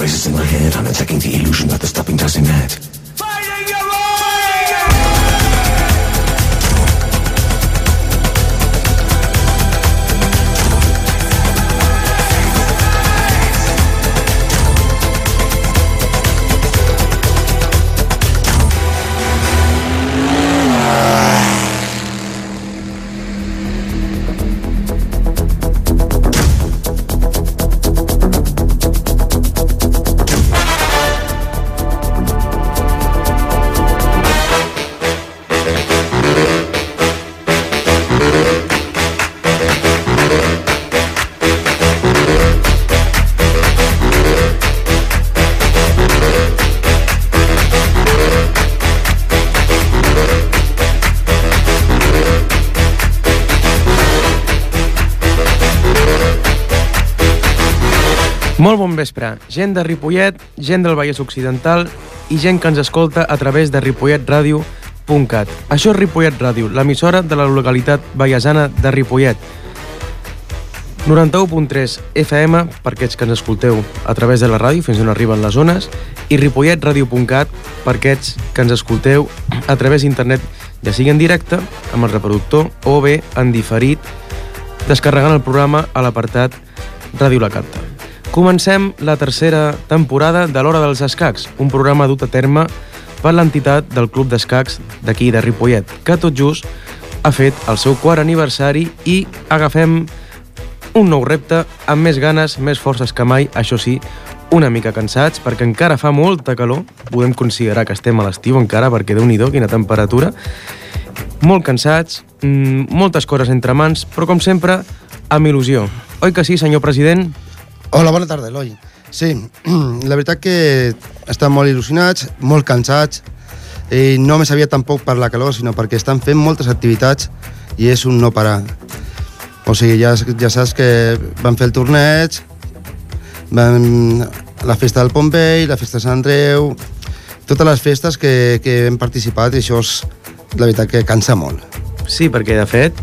races in my head, I'm attacking the illusion that the stopping doesn't net. Molt bon vespre, gent de Ripollet, gent del Vallès Occidental i gent que ens escolta a través de ripolletradio.cat. Això és Ripollet Ràdio, l'emissora de la localitat vallesana de Ripollet. 91.3 FM, per aquests que ens escolteu a través de la ràdio fins on arriben les zones, i ripolletradio.cat, per aquests que ens escolteu a través d'internet, ja sigui en directe, amb el reproductor, o bé en diferit, descarregant el programa a l'apartat Ràdio La Canta. Comencem la tercera temporada de l'Hora dels Escacs, un programa dut a terme per l'entitat del Club d'Escacs d'aquí de Ripollet, que tot just ha fet el seu quart aniversari i agafem un nou repte amb més ganes, més forces que mai, això sí, una mica cansats, perquè encara fa molta calor, podem considerar que estem a l'estiu encara, perquè Déu-n'hi-do, quina temperatura, molt cansats, moltes coses entre mans, però com sempre, amb il·lusió. Oi que sí, senyor president? Hola, bona tarda, Eloi. Sí, la veritat que estan molt il·lusionats, molt cansats, i no me sabia tampoc per la calor, sinó perquè estan fent moltes activitats i és un no parar. O sigui, ja saps que van fer el torneig, la festa del Pont Vell, la festa de Sant Andreu, totes les festes que hem participat, i això és la veritat que cansa molt. Sí, perquè de fet,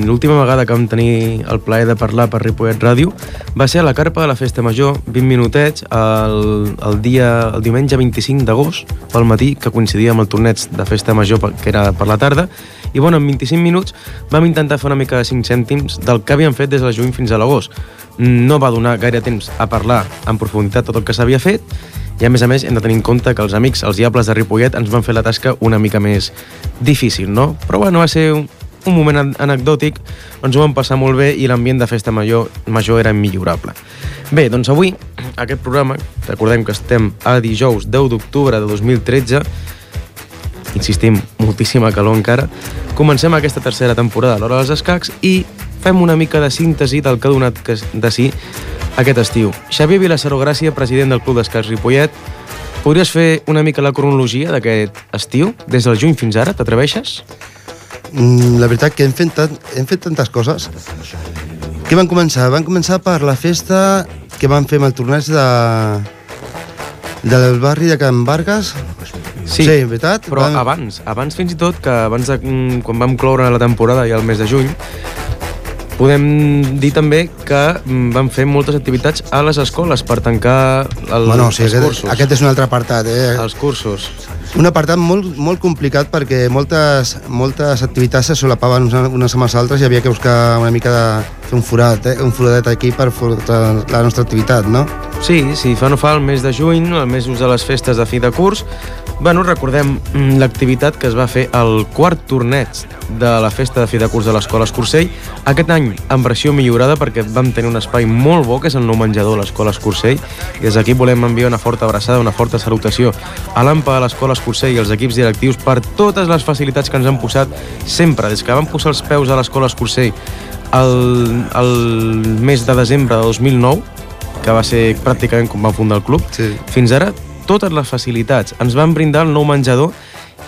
l'última vegada que vam tenir el plaer de parlar per Ripollet Ràdio va ser a la carpa de la Festa Major, 20 minutets, el diumenge 25 d'agost, pel matí, que coincidia amb el torneig de Festa Major, que era per la tarda, i bueno, en 25 minuts vam intentar fer una mica de 5 cèntims del que havíem fet des del juny fins a l'agost. No va donar gaire temps a parlar en profunditat tot el que s'havia fet, i a més hem de tenir en compte que els amics, els diables de Ripollet, ens van fer la tasca una mica més difícil, no? Però bueno, va ser un moment anecdòtic, ens ho vam passar molt bé i l'ambient de Festa Major era immillorable. Bé, doncs avui, aquest programa, recordem que estem a dijous 10 d'octubre de 2013, insistim, moltíssima calor encara, comencem aquesta tercera temporada de l'Hora dels Escacs i fem una mica de síntesi del que ha donat de si aquest estiu. Xavier Vilassaró Gràcia, president del Club d'Escacs Ripollet, podries fer una mica la cronologia d'aquest estiu, des del juny fins ara, t'atreveixes? La veritat que hem fet tantes coses. Què van començar? Van començar per la festa que van fer amb el torneig del barri de Can Vargas. Sí, veritat? Però abans fins i tot, que abans de quan vam cloure la temporada i el mes de juny, podem dir també que van fer moltes activitats a les escoles per tancar els cursos. Aquest és un altre apartat, Els cursos. Un apartat molt complicat perquè moltes activitats se solapaven unes amb les altres i havia que buscar una mica de fer un foradet aquí per la nostra activitat, no? Sí, fa no fa el mes de juny, el mes de les festes de fi de curs, bueno, recordem l'activitat que es va fer al quart torneig de la festa de fi de curs de l'Escola Escursell, aquest any en versió millorada perquè vam tenir un espai molt bo, que és el nou menjador de l'Escola Escursell, i des d'aquí volem enviar una forta abraçada, una forta salutació a l'AMPA de l'Escola Escursell i als equips directius per totes les facilitats que ens han posat sempre, des que vam posar els peus a l'Escola Escursell el mes de desembre de 2009, que va ser pràcticament com va fundar el club, sí. Fins ara totes les facilitats. Ens van brindar el nou menjador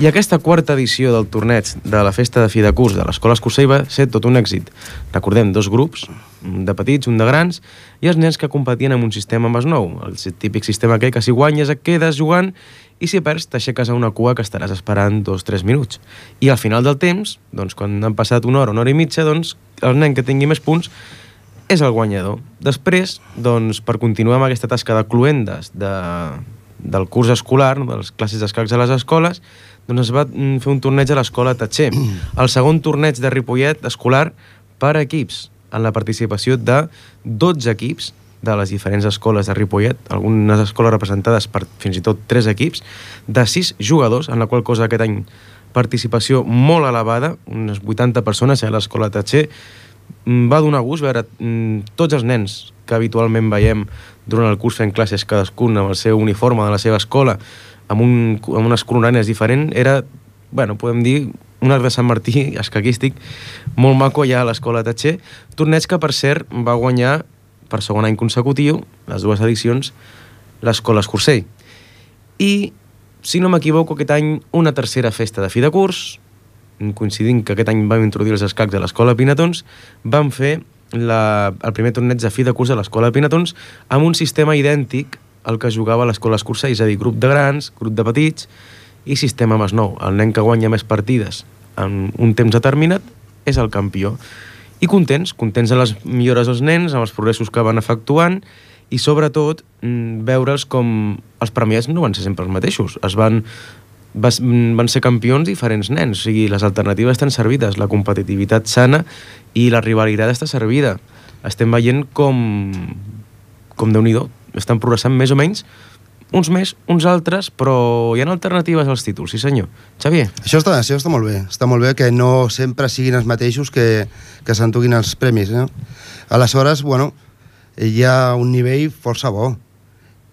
i aquesta quarta edició del torneig de la festa de fi de curs de l'Escola Escursell va ser tot un èxit. Recordem, 2 grups, un de petits, un de grans, i els nens que competien amb un sistema més nou, el típic sistema aquell que si guanyes et quedes jugant i si perds t'aixeques a una cua que estaràs esperant 2-3 minuts. I al final del temps, doncs, quan han passat una hora i mitja, doncs, el nen que tingui més punts és el guanyador. Després, doncs, per continuar amb aquesta tasca de cluendes del curs escolar, de les classes d'escacs a les escoles, doncs es va fer un torneig a l'escola Tatxer. El segon torneig de Ripollet escolar per equips, en la participació de 12 equips de les diferents escoles de Ripollet, algunes escoles representades per fins i tot 3 equips, de 6 jugadors, en la qual cosa aquest any participació molt elevada, unes 80 persones a l'escola Tatxer. Va donar gust veure tots els nens que habitualment veiem durant el curs fent classes, cadascun amb el seu uniforme de la seva escola, amb unes colorànies diferents. Era, bueno, podem dir, un arc de Sant Martí escaquístic molt maco allà a l'escola Tatxer. Torneig que, per cert, va guanyar per segon any consecutiu, les 2 edicions, l'escola Escursell. I, si no m'equivoco, aquest any una tercera festa de fi de curs, coincidint que aquest any vam introduir els escacs a l'escola Pinatons, vam fer el primer torneig de fi de curs a l'escola Pinatons amb un sistema idèntic al que jugava a l'escola Escursell, és a dir, grup de grans, grup de petits i sistema Masnou. El nen que guanya més partides en un temps determinat és el campió. I contents amb les millores dels nens, amb els progressos que van efectuant i sobretot veure'ls com els premiats no van ser sempre els mateixos. Van ser campions diferents nens, o sigui, les alternatives estan servides, la competitivitat sana i la rivalitat està servida. Estem veient com Déu-n'hi-do, estan progressant més o menys, uns més, uns altres, però hi ha alternatives als títols, sí senyor. Xavier? Això està molt bé. Està molt bé que no sempre siguin els mateixos que s'entuguin els premis, no? Aleshores, bueno, hi ha un nivell força bo.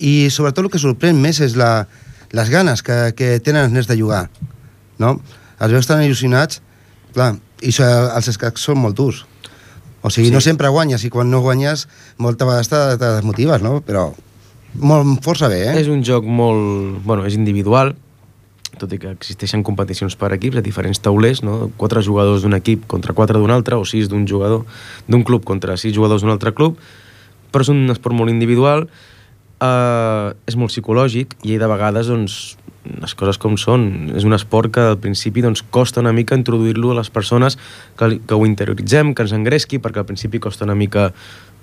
I sobretot el que sorprèn més és les ganes que tenen els nens de jugar, no? Els veus tan il·lusionats, clar, i els escacs són molt durs. O sigui, sí. No sempre guanyes, i quan no guanyes moltes vegades te desmotives, no? Però força bé, És un joc molt... Bueno, és individual, tot i que existeixen competicions per equips a diferents taulers, no? 4 jugadors d'un equip contra 4 d'un altre, o 6 d'un jugador d'un club contra 6 jugadors d'un altre club, però és un esport molt individual, és molt psicològic, i de vegades, doncs, les coses com són. És un esport que al principi doncs, costa una mica introduir-lo a les persones que ho interioritzem, que ens engresqui, perquè al principi costa una mica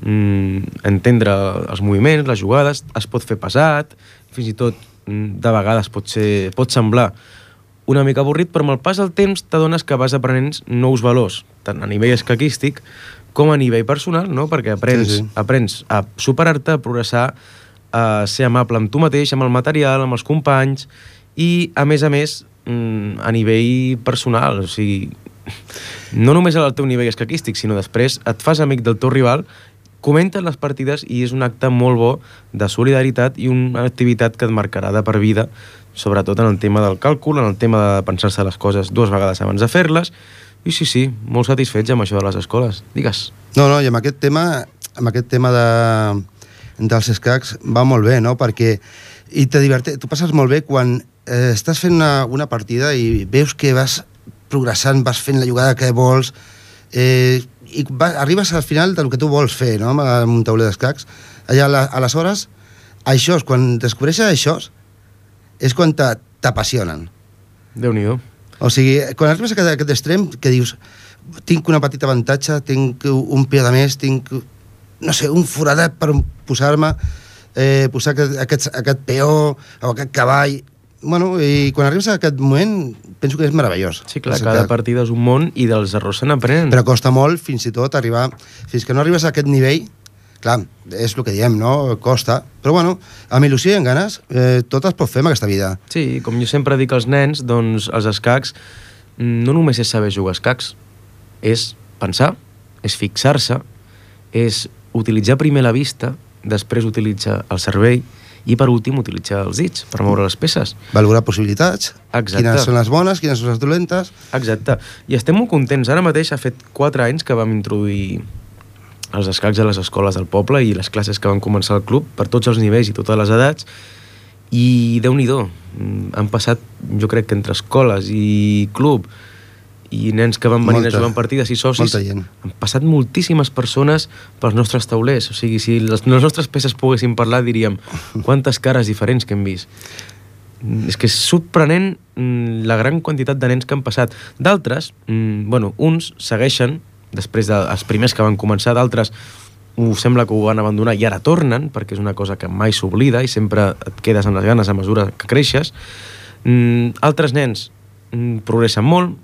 entendre els moviments, les jugades, es pot fer pesat, fins i tot de vegades pot semblar una mica avorrit, però amb el pas del temps t'adones que vas aprenent nous valors, tant a nivell escaquístic com a nivell personal, no? Perquè aprens a superar-te, a progressar, a ser amable amb tu mateix, amb el material, amb els companys, i a més, a nivell personal, o sigui, no només al teu nivell escaquístic, sinó després et fas amic del teu rival, comenten les partides i és un acte molt bo de solidaritat i una activitat que et marcarà de per vida, sobretot en el tema del càlcul, en el tema de pensar-se les coses 2 vegades abans de fer-les, i sí, molt satisfets amb això de les escoles. Digues. No, i amb aquest tema dels escacs va molt bé, no? Perquè tu passes molt bé quan estàs fent una partida i veus que vas progressant, vas fent la jugada que vols, i arribes al final del que tu vols fer, no? Amb un tauler d'escacs. Aleshores, això, quan descobreixes això, és quan t'apassionen. Déu-n'hi-do. O sigui, quan arribes a aquest extrem, que dius, tinc una petita avantatge, tinc un peu de més, tinc, no sé, un foradet per posar-me, posar aquest peó o aquest cavall. Bueno, i quan arribes a aquest moment, penso que és meravellós. Sí, clar, cada partida és un món i dels errors se n'aprenen. Però costa molt, fins i tot, arribar... Fins que no arribes a aquest nivell, clar, és el que diem, no? Costa. Però bueno, amb il·lusió i amb ganes, tot es pot fer en aquesta vida. Sí, com jo sempre dic als nens, doncs els escacs no només és saber jugar escacs, és pensar, és fixar-se, és utilitzar primer la vista, després utilitzar el cervell, i per últim utilitzar els dits per moure les peces. Valorar possibilitats. Exacte. Quines són les bones, quines són les dolentes. Exacte. I estem molt contents. Ara mateix ha fet 4 anys que vam introduir els escacs a les escoles del poble i les classes que van començar al club per tots els nivells i totes les edats, i Déu-n'hi-do. Han passat, jo crec que entre escoles i club i nens que van venir a jugar en partides i socis, han passat moltíssimes persones pels nostres taulers. O sigui, si les nostres peces poguessin parlar, diríem quantes cares diferents que hem vist. És que és sorprenent la gran quantitat de nens que han passat. D'altres, uns segueixen, després dels primers que van començar, d'altres sembla que ho van abandonar i ara tornen, perquè és una cosa que mai s'oblida i sempre et quedes amb les ganes a mesura que creixes. Altres nens progressen molt,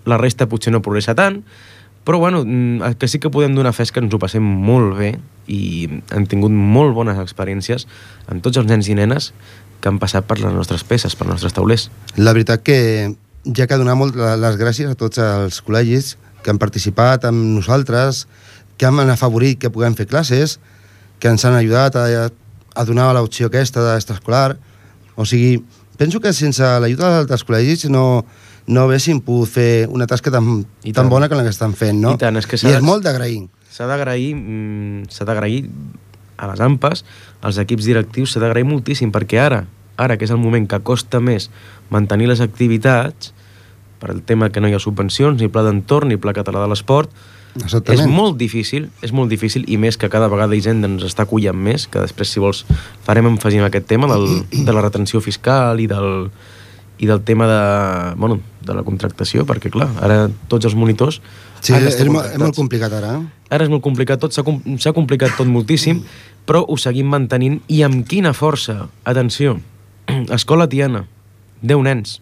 la resta potser no progressa tant, però bueno, el que sí que podem donar fe és que ens ho passem molt bé i hem tingut molt bones experiències amb tots els nens i nenes que han passat per les nostres peces, per els nostres taulers. La veritat que ja que donar molt les gràcies a tots els col·legis que han participat amb nosaltres, que han afavorit que puguem fer classes, que ens han ajudat a donar l'opció aquesta d'extraescolar. O sigui, penso que sense l'ajuda dels col·legis no haguéssim pogut fer una tasca tan bona com la que estan fent, no? I tant, és que és molt d'agrair. S'ha d'agrair a les AMPAs, als equips directius, s'ha d'agrair moltíssim, perquè ara que és el moment que costa més mantenir les activitats, per el tema que no hi ha subvencions, ni pla d'entorn, ni pla català de l'esport, és molt difícil, i més que cada vegada Hisenda ens està acollant més, que després, si vols, farem èmfasi en aquest tema de la retenció fiscal i del tema de la contractació, perquè clar, ara tots els monitors... Sí, és molt complicat ara. Ara és molt complicat tot, s'ha complicat tot moltíssim, però ho seguim mantenint, i amb quina força. Atenció, Escola Tiana, 10 nens.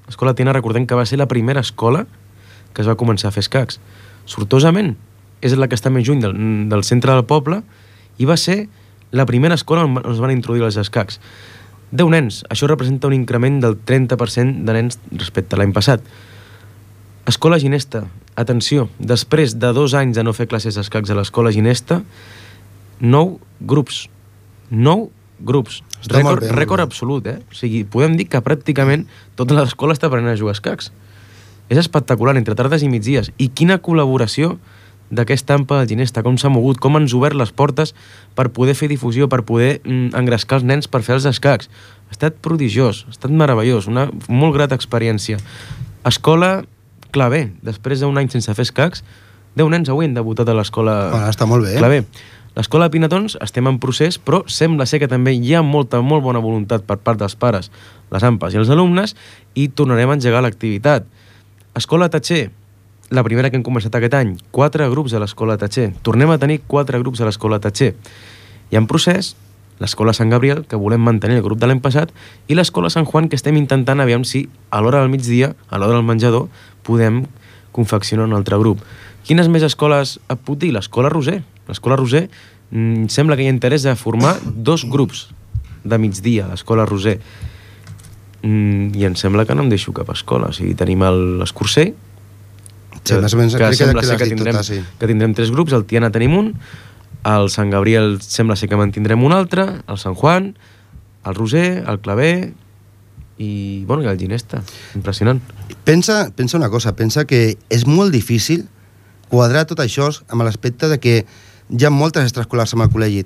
Escola Tiana, recordem que va ser la primera escola que es va començar a fer escacs. Sortosament, és la que està més lluny del centre del poble, i va ser la primera escola on es van introduir els escacs. 10 nens, això representa un increment del 30% de nens respecte a l'any passat. Escola Ginesta, atenció, després de 2 anys de no fer classes d'escacs a l'escola Ginesta, 9 grups. 9 grups. Rècord absolut, eh? O sigui, podem dir que pràcticament tota l'escola està aprenent a jugar a escacs. És espectacular, entre tardes i migdies. I quina col·laboració d'aquesta AMPA de Ginesta, com s'ha mogut, com han obert les portes per poder fer difusió, per poder engrescar els nens per fer els escacs. Ha estat prodigiós, ha estat meravellós, una molt grata experiència. Escola Clavé, després d'un any sense fer escacs, 10 nens avui han debutat a l'escola està molt bé. Clavé. L'escola de Pinatons estem en procés, però sembla ser que també hi ha molt bona voluntat per part dels pares, les AMPAs i els alumnes, i tornarem a engegar l'activitat. Escola Tatxer, la primera que hem començat aquest any, 4 grups a l'Escola Tatxer. Tornem a tenir 4 grups a l'Escola Tatxer. I en procés, l'Escola Sant Gabriel, que volem mantenir el grup de l'any passat, i l'Escola Sant Juan, que estem intentant aviam si a l'hora del migdia, a l'hora del menjador, podem confeccionar un altre grup. Quines més escoles et puc dir? L'Escola Roser. L'Escola Roser sembla que hi ha interès de formar 2 grups de migdia a l'Escola Roser. I em sembla que no em deixo cap escola. O sigui, tenim l'Escurcer, sí, més o menys, que sembla ser que tindrem 3 grups. El Tiana tenim un, el Sant Gabriel sembla ser que mantindrem un altre, el Sant Juan, el Roser, el Clavé i el Ginesta. Impressionant. Pensa una cosa, pensa que és molt difícil quadrar tot això amb l'aspecte de que hi ha moltes extraescolars amb el col·legi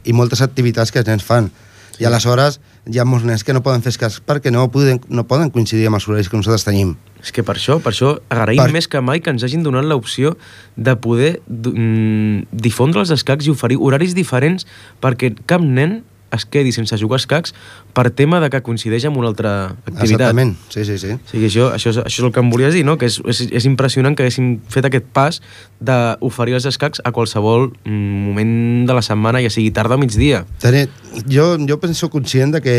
i moltes activitats que els nens fan. I aleshores hi ha molts nens que no poden fer escacs perquè no poden coincidir amb els horaris que nosaltres tenim. És que per això agraïm més que mai que ens hagin donat l'opció de poder difondre els escacs i oferir horaris diferents perquè cap nen es quedi sense jugar escacs per tema de que coincideix amb una altra activitat. Exactament, sí. O sigui, això és el que em volies dir, no? Que és impressionant que haguéssim fet aquest pas d'oferir els escacs a qualsevol moment de la setmana, ja sigui tarda o migdia. Jo penso conscient de que,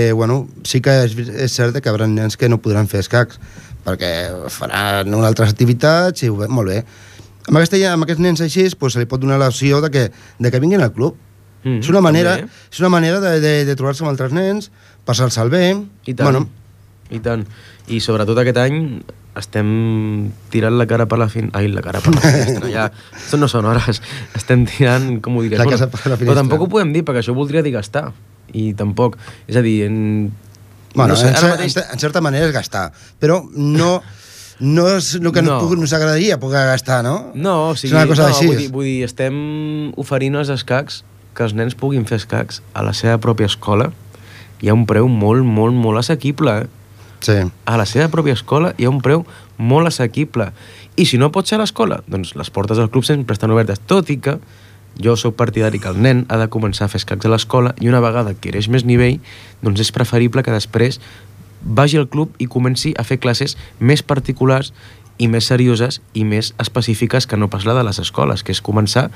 sí que és cert que hi haurà nens que no podran fer escacs, perquè faran unes altres activitats i molt bé. Amb aquests nens així se li pot donar l'opció de que vinguin al club. És una manera de trobar-se amb altres nens, passar-se'l bé. I tant. I sobretot aquest any estem tirant la cara per la finestra. Ja, no són hores. Estem tirant, com ho diré? La casa per la finestra. Però tampoc ho podem dir, perquè això voldria dir gastar. I tampoc, és a dir... en certa manera és gastar, però no és el que nos agradaria poder gastar, no? No, o sigui, vull dir, estem oferint els escacs que els nens puguin fer escacs a la seva pròpia escola. Hi ha un preu molt assequible, Sí. A la seva pròpia escola hi ha un preu molt assequible. I si no pot ser a l'escola, doncs les portes del club sempre estan obertes, tot i que jo soc partidari que el nen ha de començar a fer escacs a l'escola i una vegada adquireix més nivell, doncs és preferible que després vagi al club i comenci a fer classes més particulars i més serioses i més específiques que no pas la de les escoles, que és començar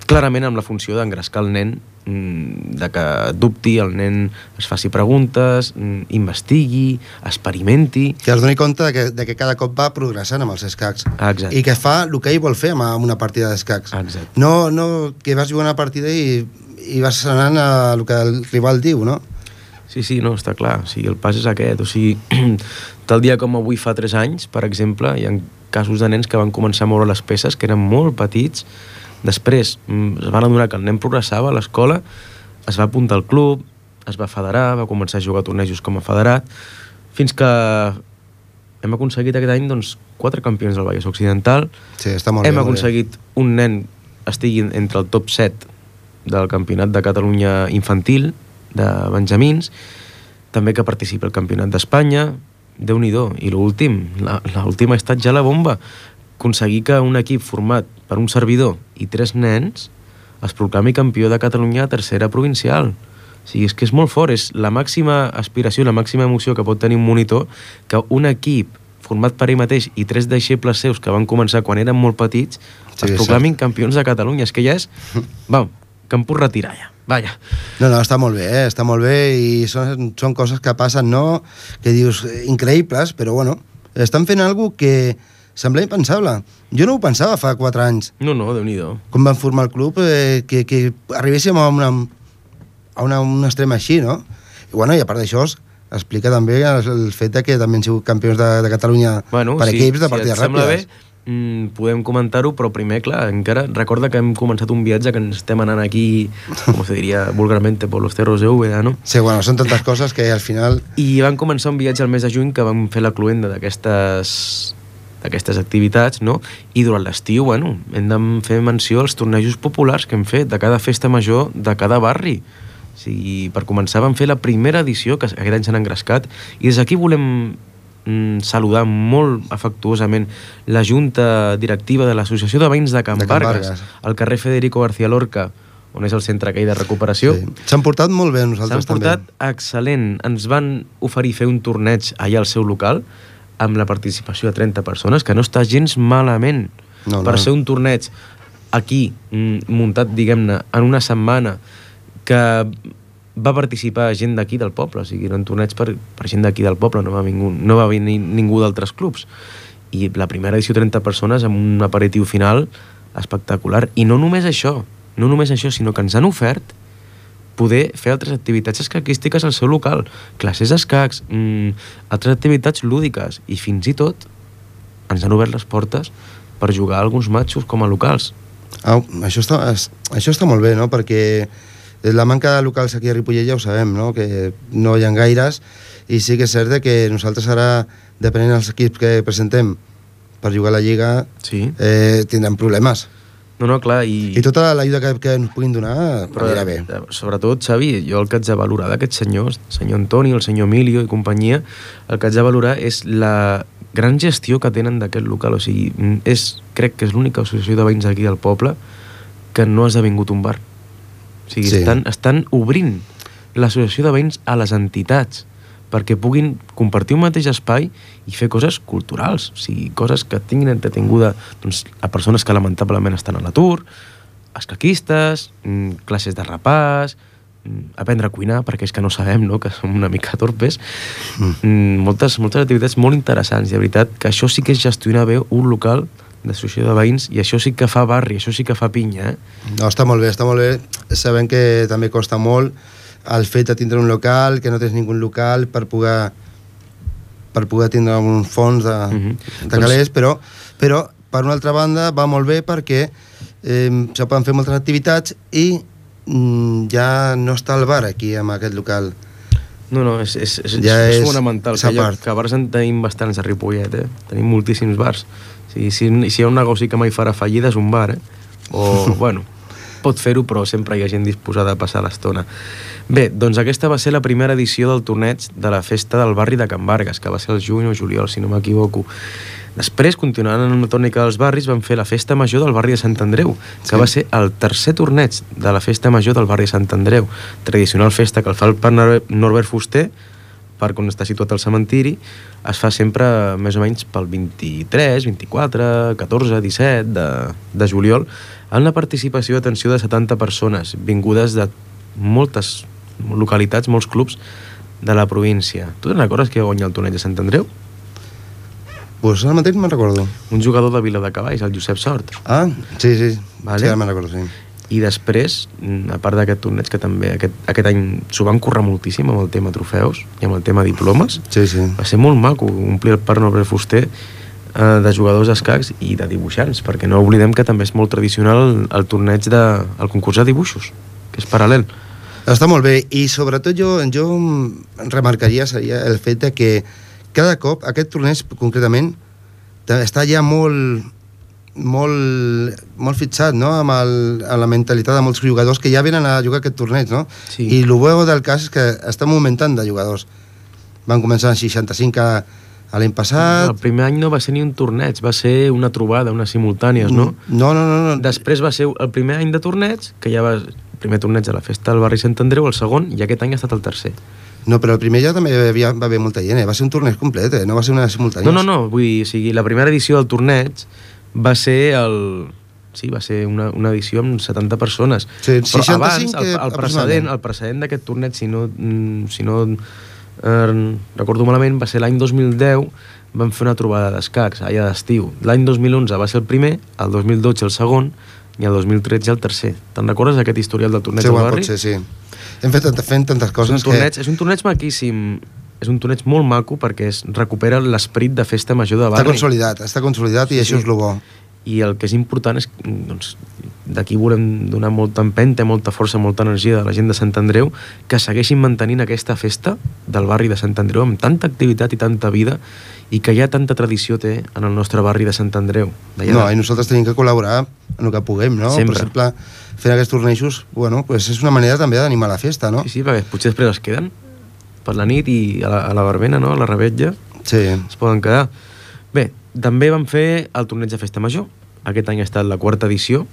clarament amb la funció d'engrescar el nen, de que dubti, el nen es faci preguntes, investigui, experimenti... Que es doni compte de que cada cop va progressant amb els escacs. Exacte. I que fa el que ell vol fer amb una partida d'escacs. Exacte. No que vas jugar una partida i vas anant a el que el rival diu, no? Sí, no, està clar. O sigui, el pas és aquest. O sigui, tal dia com avui fa 3 anys, per exemple, hi ha casos de nens que van començar a moure les peces, que eren molt petits. Després es van adonar que el nen progressava a l'escola, es va apuntar al club, es va federar, va començar a jugar a tornejos com a federat, fins que hem aconseguit aquest any 4 campions del Vallès Occidental. Sí, està molt bé. Hem aconseguit un nen estigui entre el top 7 del Campionat de Catalunya infantil, de Benjamins, també que participa al Campionat d'Espanya. Déu-n'hi-do. I l'últim ha estat ja la bomba, aconseguir que un equip format per un servidor i 3 nens es proclami campió de Catalunya a tercera provincial. O sigui, és que és molt fort, és la màxima aspiració, la màxima emoció que pot tenir un monitor, que un equip format per ell mateix i 3 deixebles seus que van començar quan eren molt petits es proclamin campions de Catalunya. És que ja és... que em puc retirar ja. Vaja. No, està molt bé i són coses que passen, no? Que dius, increïbles, però bueno, estan fent alguna cosa que sembla impensable. Jo no ho pensava fa 4 anys. No, Déu-n'hi-do. Com van formar el club, que arribéssim a un extrem així, no? I bueno, i a part d'això explica també el fet que també han sigut campions de Catalunya per equips de partides ràpides. Podem comentar-ho, però primer, clar, encara recorda que hem començat un viatge que ens estem anant aquí, com se diria vulgarmente, por los cerros de Úbeda, no? Sí, bueno, són tantes coses que al final... I van començar un viatge al mes de juny que vam fer la cluenda d'aquestes activitats, no? I durant l'estiu, bueno, hem de fer menció als tornejos populars que hem fet de cada festa major de cada barri. O sigui, per començar vam fer la primera edició, que aquest any s'han engrescat, i des d'aquí volem saludar molt afectuosament la junta directiva de l'Associació de Veïns de Can Vargas, al carrer Federico García Lorca, on és el centre aquell de recuperació. Sí. S'han portat molt bé nosaltres també. S'han portat excel·lent. Ens van oferir fer un torneig allà al seu local amb la participació de 30 persones, que no està gens malament. Per ser un torneig aquí, muntat, diguem-ne, en una setmana, que va participar gent d'aquí del poble, o sigui, eren torneigs per gent d'aquí del poble, no va venir ningú d'altres clubs. I la primera edició 30 persones amb un aperitiu final espectacular. I no només això, sinó que ens han ofert poder fer altres activitats escaquístiques al seu local, classes d'escacs, altres activitats lúdiques, i fins i tot ens han obert les portes per jugar a alguns matxos com a locals. Això està molt bé, no? Perquè la manca de locals aquí a Ripollet ja ho sabem, no? Que no hi ha gaires, i sí que és cert que nosaltres ara, depenent dels equips que presentem per jugar a la Lliga, tindrem problemes. No, clar, i tota l'ajuda que ens puguin donar anirà bé. Sobretot, Xavi, jo el que haig de valorar d'aquests senyors, el senyor Antoni, el senyor Emilio i companyia, el que haig de valorar és la gran gestió que tenen d'aquest local. O sigui, crec que és l'única associació de veïns aquí del poble que no ha esdevingut un bar. O sigui, estan obrint l'associació de veïns a les entitats perquè puguin compartir un mateix espai i fer coses culturals, o sigui, coses que tinguin entretinguda a persones que lamentablement estan a l'atur, escaquistes, classes de repàs, aprendre a cuinar, perquè és que no sabem, no?, que som una mica torpes. Moltes activitats molt interessants, i de veritat que això sí que és gestionar bé un local d'associació de veïns, i això sí que fa barri, això sí que fa pinya, No, està molt bé. Sabem que també costa molt el fet de tindre un local, que no tens ningú local per poder tindre un fons de calés, però per una altra banda va molt bé perquè se poden fer moltes activitats i ja no està el bar aquí amb aquest local. No, és fonamental, que bars en tenim bastants a Ripollet, tenim moltíssims bars. Si hi ha un negoci que mai farà fallida és un bar, o, bueno, pot fer-ho, però sempre hi ha gent disposada a passar l'estona. Bé, doncs aquesta va ser la primera edició del torneig de la festa del barri de Can Vargas, que va ser el juny o juliol, si no m'equivoco. Després, continuant en una tònica dels barris, van fer la festa major del barri de Sant Andreu, que va ser el tercer torneig de la festa major del barri de Sant Andreu. Tradicional festa que el fa el parc Norbert Fuster, parc on està situat el cementiri, es fa sempre més o menys pel 23, 24, 14, 17 de juliol. amb la participació, atenció, de 70 persones, vingudes de moltes localitats, molts clubs de la província. Tu te'n recordes que guanya el torneig de Sant Andreu? Pues ara mateix me'n recordo. Un jugador de Viladecavalls, el Josep Sort. Ah, sí. Vale. Sí, ara me'n recordo, sí. I després, a part d'aquest torneig, que també aquest any s'ho van currar moltíssim amb el tema trofeus i amb el tema diplomes, Sí. va ser molt maco omplir el Parc Noble Fuster de jugadors d'escacs i de dibuixants, perquè no oblidem que també és molt tradicional el torneig el concurs de dibuixos, que és paral·lel. Està molt bé, i sobretot jo remarcaria seria el fet de que cada cop aquest torneig concretament està ja molt fixat, no?, amb la mentalitat de molts jugadors que ja venen a jugar aquest torneig, no? Sí. I el bo del cas és que estan augmentant de jugadors. Van començar amb 65 a l'any passat. El primer any no va ser ni un torneig, va ser una trobada, unes simultànies, no? No. Després va ser el primer any de torneig, que ja va el primer torneig de la festa del barri Sant Andreu, el segon, i aquest any ha estat el tercer. No, però el primer ja també va haver molta gent, va ser un torneig complet, no va ser una simultània. No, vull dir, o sigui, la primera edició del torneig va ser va ser una edició amb 70 persones. Sí, però 65 abans, el precedent d'aquest torneig, si no recordo malament, va ser l'any 2010, vam fer una trobada d'escacs allà d'estiu. L'any 2011 va ser el primer, el 2012 el segon i el 2013 el tercer. Te'n recordes d'aquest historial del torneig del barri? Sí. Hem fet tantes coses És un torneig maquíssim, és un torneig molt maco perquè recupera l'esperit de festa major de barri. Està consolidat i això és el bo. I el que és important és, doncs, d'aquí volem donar molta empenta, molta força, molta energia de la gent de Sant Andreu, que segueixin mantenint aquesta festa del barri de Sant Andreu amb tanta activitat i tanta vida, i que ja tanta tradició té en el nostre barri de Sant Andreu. I nosaltres tenim que col·laborar en el que puguem, no? Sempre. Per exemple, fent aquests tornejos, pues és una manera també d'animar la festa, no? Sí, perquè potser després es queden per la nit i a la verbena, no? A la rebetlla. Sí. Es poden quedar. Bé, també vam fer el torneig de festa major. Aquest any ha estat la 4ª edició.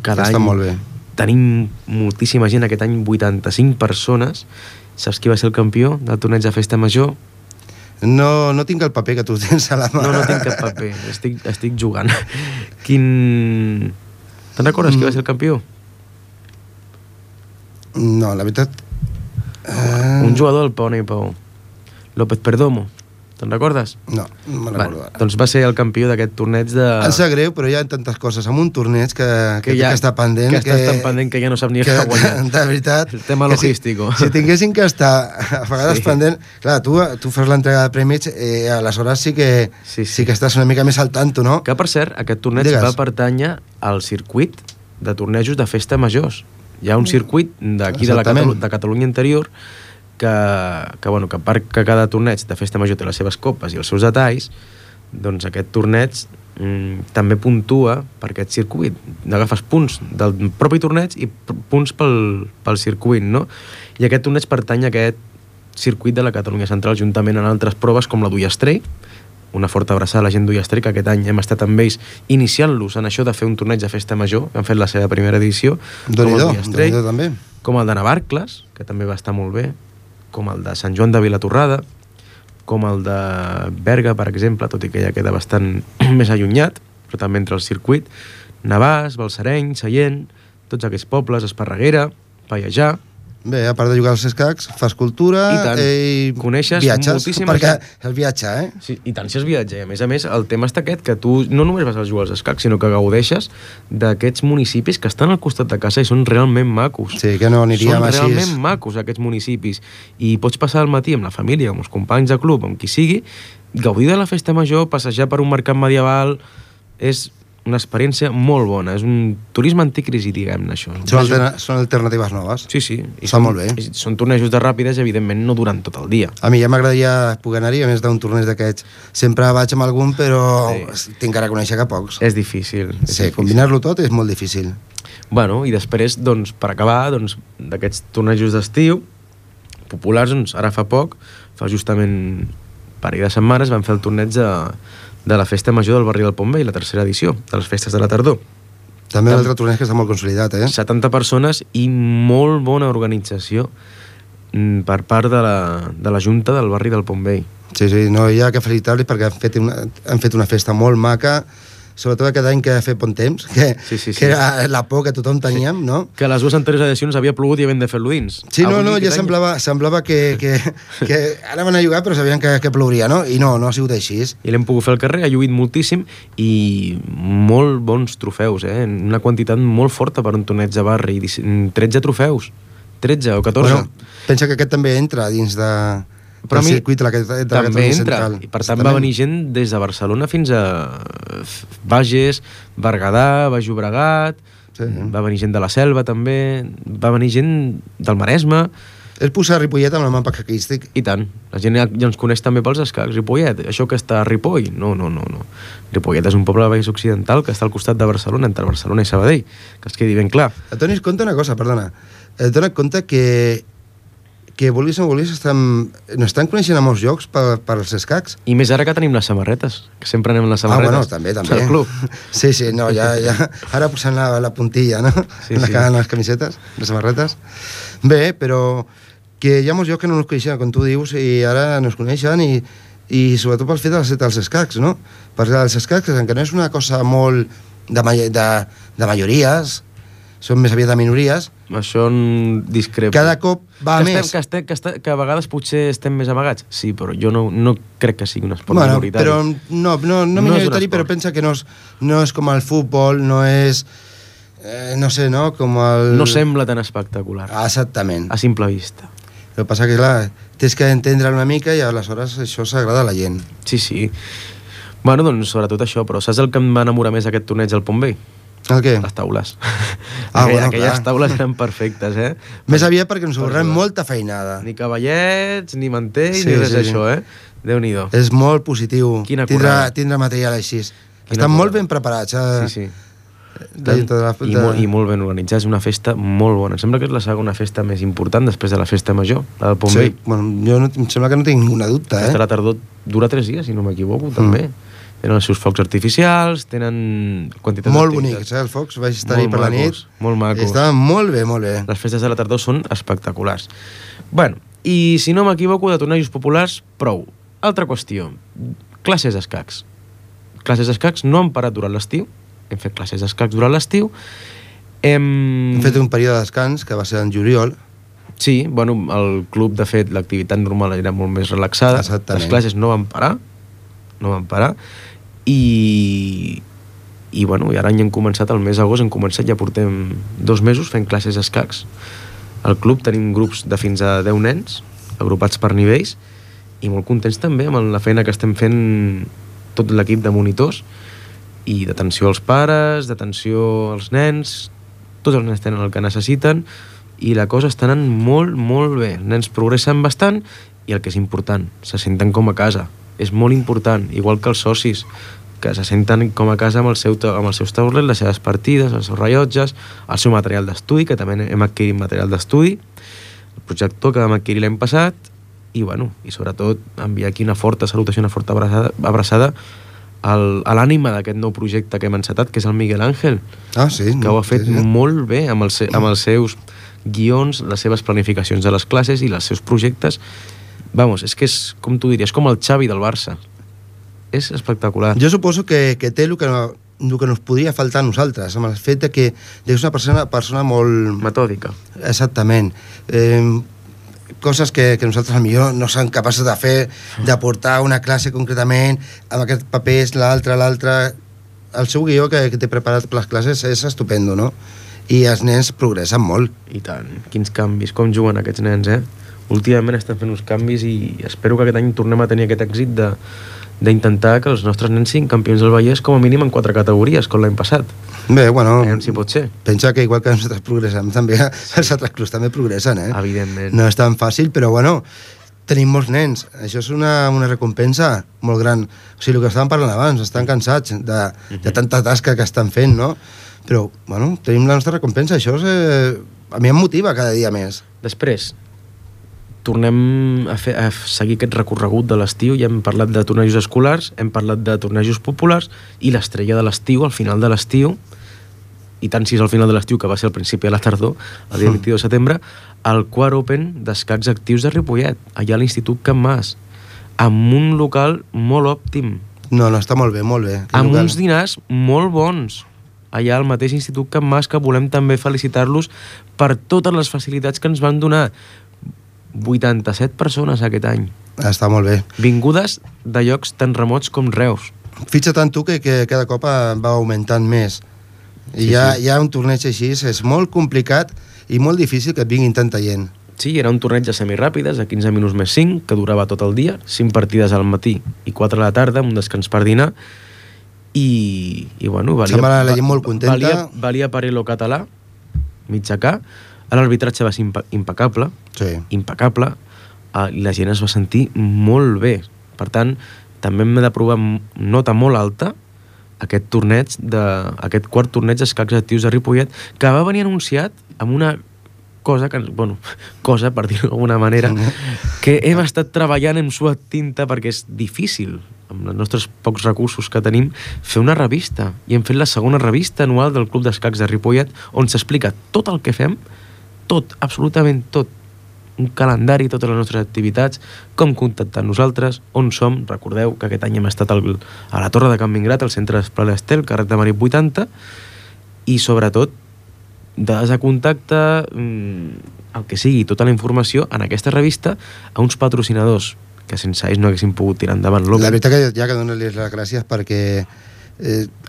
Cada any molt bé. Tenim moltíssima gent, aquest any 85 persones. Saps qui va ser el campió del torneig de festa major? No tinc el paper que tu tens a la mà. No tinc cap paper, estic jugant. Te'n recordes qui va ser el campió? No, la veritat... Un jugador del Pau i Pau. López Perdomo. Te'n recordes? No me'n recordo. Doncs va ser el campió d'aquest torneig de... Em sap greu, però hi ha tantes coses amb un torneig que està pendent. Que està tan pendent que ja no sap ni què guanyar. De veritat. El tema logístico. Si tinguessin que estar a vegades pendent... Clar, tu fas l'entrega de prèmits, aleshores sí que estàs una mica més al tanto, no? Que, per cert, aquest torneig va pertànyer al circuit de tornejos de festa majors. Hi ha un circuit d'aquí de Catalunya interior que a part que cada torneig de festa major té les seves copes i els seus detalls, doncs aquest torneig també puntua per aquest circuit. Agafes punts del propi torneig i punts pel circuit, no? I aquest torneig pertany a aquest circuit de la Catalunya Central, juntament amb altres proves com la d'Ullastrell. Una forta abraçada a la gent d'Ullastrell, que aquest any hem estat amb ells iniciant-los en això de fer un torneig de festa major, que han fet la seva primera edició, com el d'Ullastrell, com el de Navarcles, que també va estar molt bé, com el de Sant Joan de Vilatorrada, com el de Berga, per exemple, tot i que ja queda bastant més allunyat, però també entre el circuit, Navàs, Balsareny, Sallent, tots aquests pobles, Esparreguera, Pallejà. Bé, a part de jugar als escacs, fas cultura i coneixes moltíssima gent. Perquè és viatjar, Sí, i tant si és viatge. A més, el tema està aquest, que tu no només vas a jugar als escacs, sinó que gaudeixes d'aquests municipis que estan al costat de casa i són realment macos. Sí, que no aniríem així. Són realment macos, aquests municipis. I pots passar el matí amb la família, amb els companys de club, amb qui sigui, gaudir de la festa major, passejar per un mercat medieval, és una experiència molt bona. És un turisme anticrisi, diguem-ne, això. Són alternatives noves. Sí. Està molt bé. Són tornejos de ràpides, evidentment, no duran tot el dia. A mi ja m'agradaria poder anar-hi, a més d'un torneig d'aquests. Sempre vaig amb algun, però tinc que reconèixer que pocs. És difícil. Sí, combinar-lo tot és molt difícil. Bueno, i després, doncs, per acabar, doncs, d'aquests tornejos d'estiu populars, doncs, ara fa poc, fa justament un parell de setmanes, van fer el torneig de la festa major del barri del Pont Vell, la 3ª edició, de les festes de la tardor. També un altre torneig que està molt consolidat, 70 persones i molt bona organització per part de la Junta del barri del Pont Vell. Sí, no hi ha que felicitar-los perquè han fet una festa molt maca, sobretot aquest any que ha fet bon temps, que era la por que tothom teníem, no? Que les dues anteriors edicions havia plogut i havien de fer-lo dins. Sí, ja semblava que ara van a jugar però sabien que plouria, no? I no ha sigut així. I l'hem pogut fer al carrer, ha lluït moltíssim i molt bons trofeus, una quantitat molt forta per un torneig de barri, 13 trofeus, 13 o 14. Bueno, pensa que aquest també entra dins del circuit de la també entra, i per tant va venir gent des de Barcelona fins a Bages, Berguedà, Baix Llobregat, va venir gent de la Selva també, va venir gent del Maresme. És posar Ripollet amb el mapa escaquístic. I tant. La gent ja ens coneix també pels escacs. Ripollet, això que està a Ripoll? No. Ripollet és un poble de Baix Occidental que està al costat de Barcelona, entre Barcelona i Sabadell, que es quedi ben clar. Et donis compte una cosa, perdona. Et dones compte que vulguis o no vulguis no estan coneixent a molts llocs pels escacs. I més ara que tenim les samarretes, que sempre anem amb les samarretes. Bueno, també. Al club. Sí, no, ja ara posant la puntilla, no? Sí. Les camisetes, les samarretes. Bé, però que hi ha molts llocs que no ens coneixen, com tu dius, i ara no es coneixen, i sobretot pel fet dels escacs, no? Perquè els escacs, encara no és una cosa molt de majories, són més aviat de minories. Això discrepo. Cada cop va més. Que a vegades potser estem més amagats. Sí, però jo no crec que sigui un esport minoritari. Però no minoritari, però pensa que no és com el futbol, no és... no sé, no? Com el... No sembla tan espectacular. Exactament. A simple vista. El que passa que, clar, tens que entendre una mica i aleshores això s'agrada a la gent. Sí. Bueno, doncs sobretot això, però saps el que em va enamorar més aquest torneig al Pont Vell? El què? Les taules. Aquelles taules eren perfectes, Més aviat perquè ens ahorrem molta feinada. Ni cavallets, ni mantells, ni res d'això, Déu-n'hi-do. És molt positiu. Quina currada. Tindre material així. Estan molt ben preparats. Sí. I molt ben organitzats, una festa molt bona. Em sembla que és la segona festa més important després de la festa major, la del Pont Vell. Jo em sembla que no tinc ninguna dubte. La festa de la tardor dura 3 dies, si no m'equivoco, també. Tenen els seus focs artificials, tenen quantitat molt bonics, els focs, vaig estar-hi per la nit. Molt macos. Estaven molt bé. Les festes de la tardor són espectaculars. Bueno, i si no m'equivoco, de tornejos populars, prou. Altra qüestió, classes d'escacs. Classes d'escacs no han parat durant l'estiu, hem fet classes d'escacs durant l'estiu. Hem fet un període de descans, que va ser en juliol. Sí, bueno, el club, de fet, l'activitat normal era molt més relaxada. Exactament. Les classes no van parar, i bueno, i ara hem començat el mes d'agost, ja portem 2 mesos fent classes d'escacs. Al club tenim grups de fins a 10 nens, agrupats per nivells, i molt contents també amb la feina que estem fent tot l'equip de monitors, i d'atenció als pares, d'atenció als nens. Tots els nens tenen el que necessiten, i la cosa està anant molt, molt bé. Els nens progressen bastant, i el que és important, se senten com a casa. És molt important, igual que els socis, que se senten com a casa amb els seus taulets, les seves partides, els seus rellotges, el seu material d'estudi, que també hem adquirit material d'estudi, el projector que vam adquirir l'any passat, i sobretot enviar aquí una forta salutació, una forta abraçada a l'ànima d'aquest nou projecte que hem encetat, que és el Miguel Ángel, que ho ha fet molt bé amb els seus guions, les seves planificacions de les classes i els seus projectes. Vamos, és que és, com tu diries, com el Xavi del Barça. És espectacular. Jo suposo que té el que nos podria faltar a nosaltres, amb el fet que és una persona molt... metòdica. Exactament. Coses que nosaltres potser no som capaços de fer, d'aportar una classe concretament, amb aquests papers, l'altre... El seu guió que té preparat per les classes és estupendo, no? I els nens progressen molt. I tant. Quins canvis, com juguen aquests nens, Últimament estan fent uns canvis i espero que aquest any tornem a tenir aquest èxit d'intentar que els nostres nens siguin campions del Vallès com a mínim en 4 categories, com l'any passat. Bé, bueno... Si pot ser. Pensa que igual que nosaltres progressem, també els altres clubs també progressen, Evidentment. No és tan fàcil, però bueno, tenim molts nens. Això és una recompensa molt gran. O sigui, el que estàvem parlant abans, estan cansats de tanta tasca que estan fent, no? Però, bueno, tenim la nostra recompensa. Això a mi em motiva cada dia més. Després, tornem a seguir aquest recorregut de l'estiu. Ja hem parlat de tornejos escolars, hem parlat de tornejos populars, i l'estrella de l'estiu, al final de l'estiu, i tant si és al final de l'estiu, que va ser al principi de la tardor, el dia 22 de setembre, el Quart Open d'escacs actius de Ripollet, allà a l'Institut Can Mas, amb un local molt òptim, No, està molt bé, molt bé. Amb uns dinars molt bons. Allà al mateix Institut Can Mas, que volem també felicitar-los per totes les facilitats que ens van donar. 87 persones aquest any. Està molt bé. Vingudes de llocs tan remots com Reus. Fixa't en tu que cada cop va augmentant més. I hi ha un torneig així, és molt complicat i molt difícil que et vinguin tanta gent. Sí, era un torneig de semiràpides, de 15 minuts més 5, que durava tot el dia, 5 partides al matí i 4 a la tarda, un descans per dinar, i bueno, sembla la gent molt contenta. Valia Parello català, mitjacà, l'arbitratge va ser impecable, impecable, i la gent es va sentir molt bé. Per tant, també hem de provar nota molt alta aquest quart torneig d'escacs actius de Ripollet, que va venir anunciat amb una cosa, per dir-ho d'alguna manera, que hem estat treballant amb suat tinta perquè és difícil, amb els nostres pocs recursos que tenim, fer una revista. I hem fet la segona revista anual del Club d'Escacs de Ripollet, on s'explica tot el que fem, tot, absolutament tot, un calendari, totes les nostres activitats, com contactar amb nosaltres, on som. Recordeu que aquest any hem estat a la Torre de Can Mingrat, al centre d'Esplai Estel, carrer de Marit 80, i sobretot dades de contacte, el que sigui, tota la informació en aquesta revista a uns patrocinadors que sense ells no haguessin pogut tirar endavant l'Open. La veritat que ja que donar-los les gràcies perquè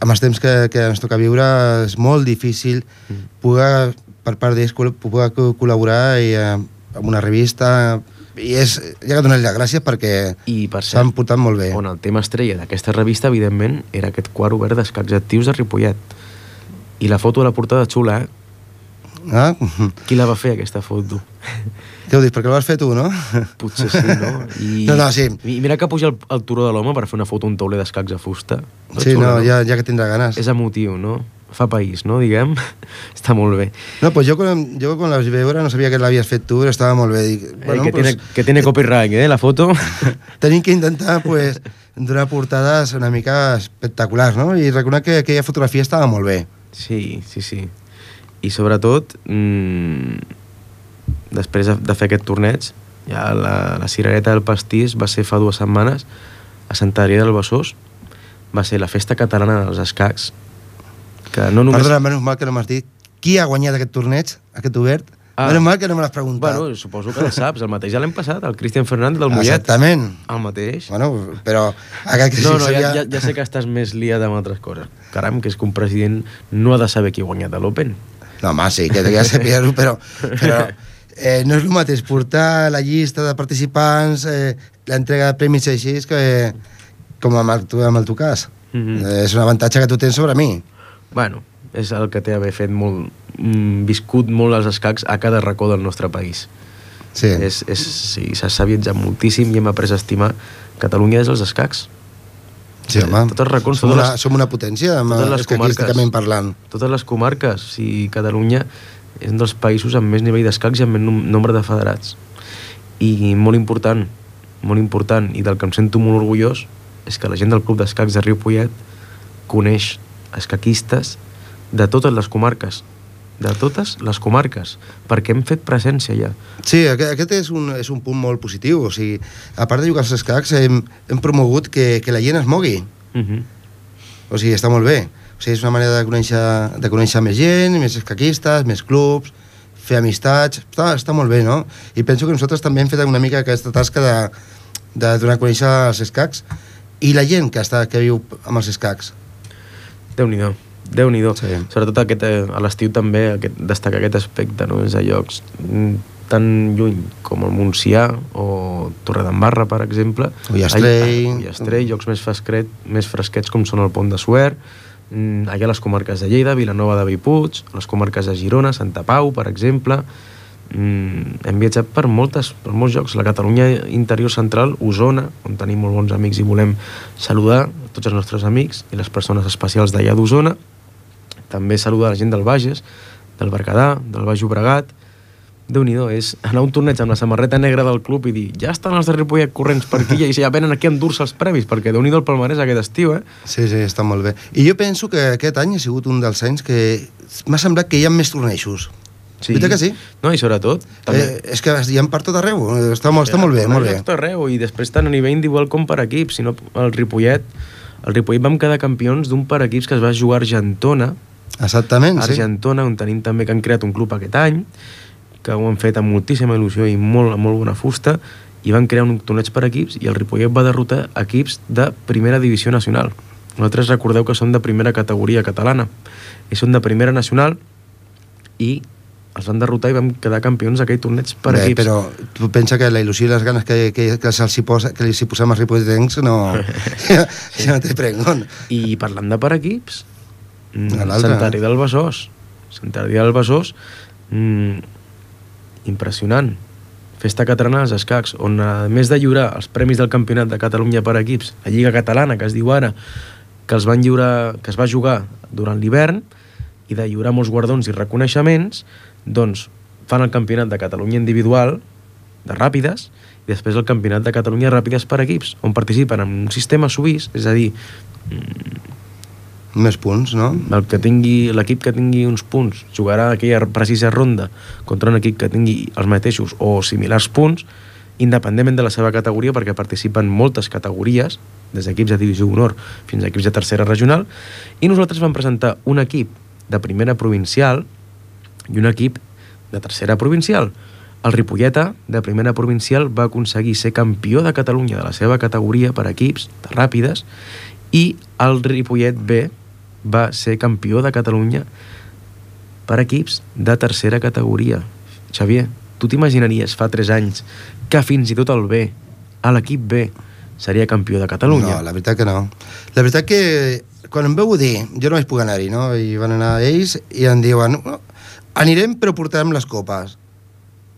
amb els temps que ens toca viure és molt difícil poder, per part d'ells, poder col·laborar amb una revista, i ja que donar-li les gràcies perquè s'han portat molt bé. On el tema estrella d'aquesta revista, evidentment, era aquest quart obert d'escacs actius de Ripollet. I la foto de la portada xula, Qui la va fer, aquesta foto? Què ho dius, perquè la vas fer tu, no? Potser sí, no? No, sí. I mira que puja el turó de l'home per fer una foto a un tauler d'escacs a fusta. Sí, no, ja que tindrà ganes. És emotiu, no? Fa país, no, diguem? Està molt bé. No, pues jo quan la vaig veure no sabia que l'havies fet tu, però estava molt bé. Dic, bueno, que tiene copyright, la foto. Tenim que intentar, pues, donar portades una mica espectaculars, no? I recordar que aquella fotografia estava molt bé. Sí. I sobretot, després de fer aquest torneig, ja la cirereta del pastís va ser fa 2 setmanes a Santa Maria del Besòs. Va ser la festa catalana dels escacs. Que no només... Perdona, menys mal que no m'has dit qui ha guanyat aquest torneig, aquest obert. Menys mal que no me l'has preguntat. Bueno, suposo que el saps, el mateix ja l'hem passat, el Cristian Fernández del Mollet. Exactament. El mateix. Bueno, però... Ja sé que estàs més liat amb altres coses. Caram, que és que un president no ha de saber qui ha guanyat l'Open. No, home, sí, que ja sabia-ho, però no és el mateix portar la llista de participants, l'entrega de premis així, com amb el teu cas. És un avantatge que tu tens sobre mi. Bueno, és el que té haver fet molt, viscut molt els escacs a cada racó del nostre país. Sí. S'ha savitzat moltíssim i hem après a estimar Catalunya és els escacs. Sí, home. Tots els racons, som una potència, escaquísticament parlant. Totes les comarques. Sí, Catalunya és un dels països amb més nivell d'escacs i amb més nombre de federats. I molt important, i del que em sento molt orgullós, és que la gent del Club d'Escacs de Ripollet coneix escaquistes de totes les comarques. De totes les comarques, perquè hem fet presència ja. Sí, aquest és un punt molt positiu. O sigui, a part de jugar als escacs, hem promogut que la gent es mogui. O sigui, està molt bé. O sigui, és una manera de conèixer més gent, més escaquistes, més clubs, fer amistats. Està molt bé, no? I penso que nosaltres també hem fet una mica aquesta tasca de donar a conèixer els escacs i la gent que viu amb els escacs. Déu-n'hi-do. Sí. Sobretot a l'estiu també destacar aquest aspecte, no? És a llocs tan lluny com el Montsià o Torredembarra, per exemple. Ullastrell, llocs més fresquets com són el Pont de Suert, allà a les comarques de Lleida, Vilanova de Bellpuig, a les comarques de Girona, Santa Pau, per exemple. Hem viatjat per molts llocs, la Catalunya interior central, Osona, on tenim molt bons amics i volem saludar tots els nostres amics i les persones especials d'allà d'Osona. També saludar la gent del Bages, del Berguedà, del Baix Llobregat. Déu-n'hi-do, és anar a un torneig amb la samarreta negra del club i dir, ja estan els de Ripollet corrents per aquí i ja venen aquí a endur-se els premis, perquè Déu-n'hi-do el palmarès aquest estiu, Sí, està molt bé. I jo penso que aquest any ha sigut un dels anys que m'ha semblat que hi ha més tornejos. Sí. Veritat que sí? No, i sobretot... és que hi ha per tot arreu, està molt bé, molt bé. Tot arreu, i després tant a nivell individual com per equip, sinó el Ripollet El Ripollet vam quedar campions d'un per equips que es va jugar a Argentona. Exactament, sí. Argentona, on tenim també que han creat un club aquest any, que ho han fet amb moltíssima il·lusió i molt bona fusta, i van crear un torneig per equips i el Ripollet va derrotar equips de primera divisió nacional. Nosaltres recordeu que són de primera categoria catalana i són de primera nacional i els van derrotar i vam quedar campions d'aquell torneig per equips. Però tu pensa que la il·lusió i les ganes que els hi posem als ripolletens no... ja no té prengon. I parlant de per equips, Sant Adrià del Besòs. Sant Adrià del Besòs, impressionant. Festa catalana dels escacs, on a més de lliurar els premis del Campionat de Catalunya per equips, la Lliga Catalana, que es diu ara, que es va jugar durant l'hivern, i de lliurar molts guardons i reconeixements, doncs fan el Campionat de Catalunya individual de ràpides i després el Campionat de Catalunya de ràpides per equips, on participen en un sistema suís, és a dir, més punts, no? L'equip que tingui uns punts jugarà aquella precisa ronda contra un equip que tingui els mateixos o similars punts, independentment de la seva categoria, perquè participen moltes categories, des d'equips de divisió honor fins a equips de tercera regional, i nosaltres vam presentar un equip de primera provincial i un equip de tercera provincial. El Ripolleta, de primera provincial, va aconseguir ser campió de Catalunya de la seva categoria per equips de ràpides i el Ripollet B va ser campió de Catalunya per equips de tercera categoria. Xavier, tu t'imaginaries fa 3 anys que fins i tot el B, l'equip B, seria campió de Catalunya? No, la veritat que no. La veritat que quan em veu dir, jo no vaig poder anar-hi, no? I van anar ells i em diuen, anirem però portarem les copes.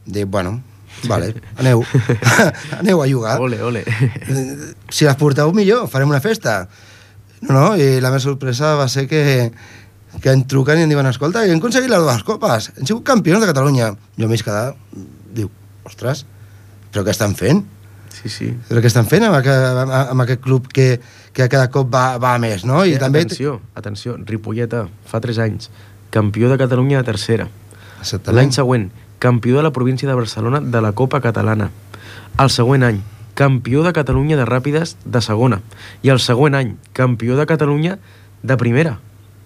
Dic, bueno, vale, aneu a jugar. Ole, ole. Si les porteu millor, farem una festa. No, i la meva sorpresa va ser que em truquen i em diuen, escolta, hem aconseguit les 2 copes, hem sigut campions de Catalunya. Jo m'he quedat, diu, ostres, però què estan fent? Sí. Però què estan fent amb aquest club que cada cop va a més, no? I també... Atenció, Ripolleta, fa 3 anys, campió de Catalunya de tercera. L'any següent, campió de la província de Barcelona de la Copa Catalana. El següent any, campió de Catalunya de ràpides de segona. I el següent any, campió de Catalunya de primera.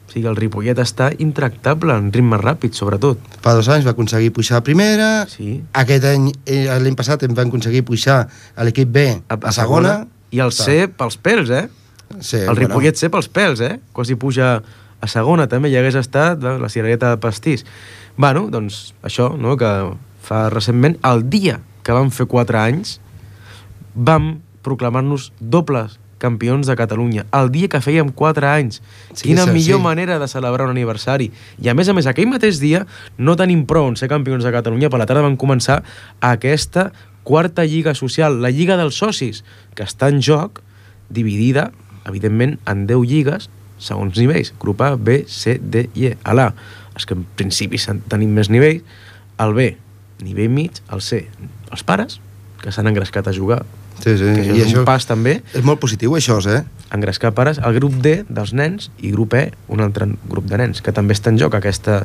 O sigui, el Ripollet està intractable en ritme ràpid, sobretot. Fa 2 anys va aconseguir pujar a primera. Sí. Aquest any, l'any passat, em va aconseguir pujar a l'equip B a segona. I el C pels pèls, Sí, el Ripollet C pels pèls, Quasi puja a segona, també hi hagués estat la cirereta de pastís. Bueno, doncs això, no?, que fa recentment, el dia que vam fer 4 anys, vam proclamar-nos dobles campions de Catalunya, el dia que fèiem 4 anys. Sí, quina millor manera de celebrar un aniversari. I a més, aquell mateix dia, no tenim prou en ser campions de Catalunya, per la tarda van començar aquesta 4a Lliga Social, la Lliga dels Socis, que està en joc, dividida, evidentment, en 10 lligues, segons nivells, grup A, B, C, D i E. A l'A, els que en principi tenim més nivells, el B, nivell mig, el C, els pares, que s'han engrescat a jugar. Sí. Que és un pas també. És molt positiu això, Engrescar pares. El grup D dels nens i grup E un altre grup de nens, que també està en joc aquesta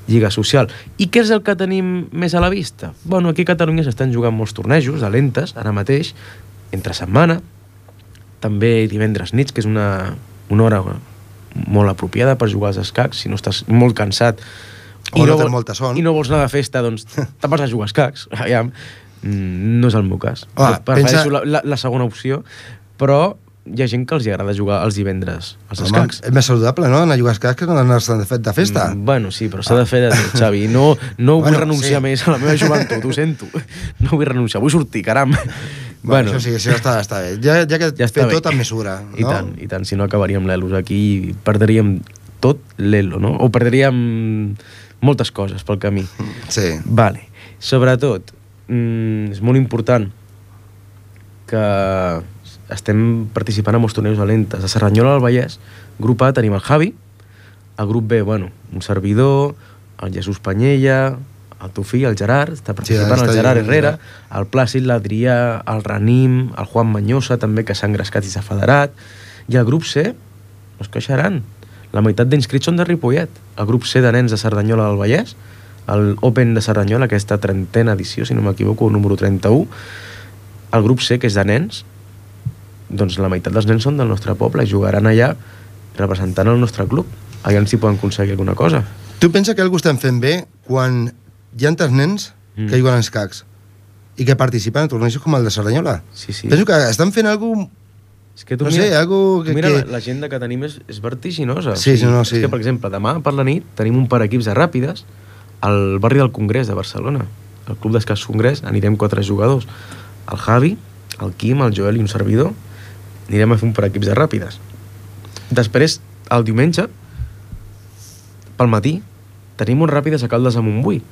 lliga social. I què és el que tenim més a la vista? Bueno, aquí a Catalunya s'estan jugant molts tornejos, a lentes, ara mateix, entre setmana, també divendres nits, que és una hora molt apropiada per jugar als escacs, si no estàs molt cansat o no tens molta son i no vols anar de festa, doncs te'n vas a jugar als escacs. No és el meu cas. Prefereixo la segona opció, però hi ha gent que els agrada jugar els divendres als escacs. És més saludable, no?, anar a jugar als escacs que no anar de festa. Bueno, sí, però s'ha de fer de tot, Xavi. No vull renunciar més a la meva joventut, ho sento. No vull renunciar, vull sortir, caram. Bueno, això sí, està bé. Ja que fer tot amb mesura, no? I tant, si no acabaríem l'Elos aquí i perdríem tot l'Elo, no? O perdríem moltes coses pel camí. Sí. Vale. Sobretot, és molt important que estem participant en molts tornejos a lentes. A Cerdanyola del Vallès, grup A, tenim el Javi, el grup B, bueno, un servidor, el Jesús Panyella, el teu fill, el Gerard, està participant, el Gerard Herrera, el Plàcid, l'Adrià, el Ranim, el Juan Manyosa, també, que s'ha engrescat i s'ha federat, i el grup C, no es queixaran, la meitat d'inscrits són de Ripollet. El grup C de nens de Cerdanyola del Vallès, el Open de Cerdanyola, aquesta 30a edició, si no m'equivoco, número 31, el grup C, que és de nens, doncs la meitat dels nens són del nostre poble i jugaran allà representant el nostre club. Allà si poden aconseguir alguna cosa. Tu pensa que algú estem fent bé quan hi ha tants nens que juguen als escacs i que participen en tornejos com el de Cerdanyola? Sí. Penso que estan fent alguna cosa... És que tu no mira, sé, algo que... mira l'agenda que tenim és vertiginosa. Sí, sí. És que, per exemple, demà per la nit tenim un par equips de ràpides al barri del Congrés de Barcelona. Al Club d'Escacs Congrés anirem 4 jugadors. El Javi, el Quim, el Joel i un servidor. Anirem a fer un par equips de ràpides. Després, el diumenge, pel matí, tenim uns ràpides a Caldes a Montbui,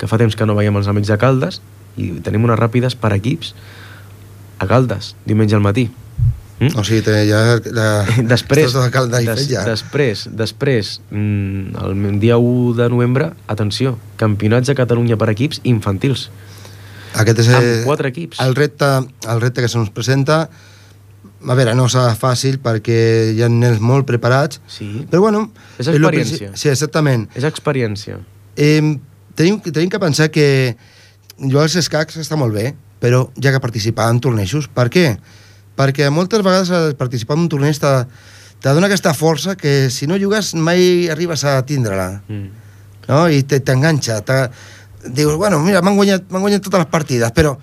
que fa temps que no veiem els amics de Caldes, i tenim unes ràpides per equips a Caldes, diumenge al matí. O sigui, Després, després, el dia 1 de novembre, atenció, campionats de Catalunya per equips infantils. Aquest és amb 4 equips. El repte que se'ns presenta. A veure, no serà fàcil perquè hi ha nens molt preparats, sí. Però bueno... És experiència. Sí, exactament. És experiència. Tenim que pensar que jugar als escacs està molt bé, però ja que participar en tornejos. Per què? Perquè moltes vegades participar en un torneig te dona aquesta força que si no jugues mai arribes a tindre-la. No? I t'enganxa. Dius, bueno, mira, m'han guanyat totes les partides, però...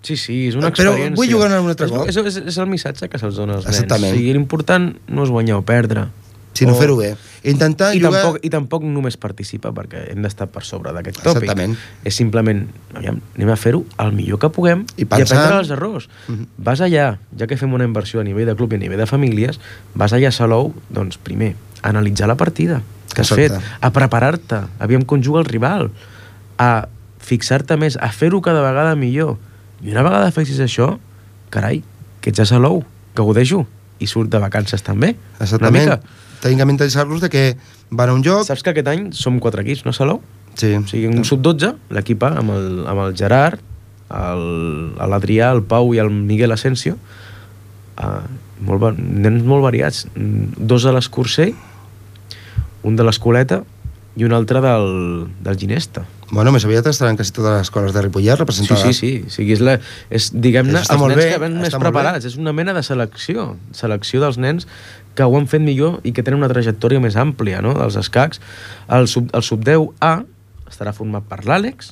Sí, és una experiència. Però vull jugar un altre cop. És el missatge que se'ls dona als nens. Exactament. O sigui, l'important no és guanyar o perdre. Sinó fer-ho bé. Intentar jugar... I tampoc només participar, perquè hem d'estar per sobre d'aquest tòpic. Exactament. És simplement, anem a fer-ho el millor que puguem i aprendre els errors. Vas allà, ja que fem una inversió a nivell de club i a nivell de famílies, vas allà a Salou, doncs primer, a analitzar la partida que has fet, a preparar-te, aviam com juga el rival, a fixar-te més, a fer-ho cada vegada millor. I una vegada fessis això, carai, que ets a Salou, gaudeix-ho, i surt de vacances també. Exactament. Una mica. Tenim que mentalitzar-los que van a un joc... Saps que aquest any som 4 equips, no, Salou? Sí. O sigui, un sub-12, l'equip A, amb el Gerard, l'Adrià, el Pau i el Miguel Asensio, nens molt variats. 2 de l'Escursell, un de l'Escoleta i un altre del Ginesta. Bueno, més aviat estaran quasi totes les escoles de Ripollet representades. Sí. O sigui, diguem-ne, els nens que ven més preparats. És una mena de selecció dels nens que ho han fet millor i que tenen una trajectòria més àmplia, no?, dels escacs. El sub-10A estarà format per l'Àlex,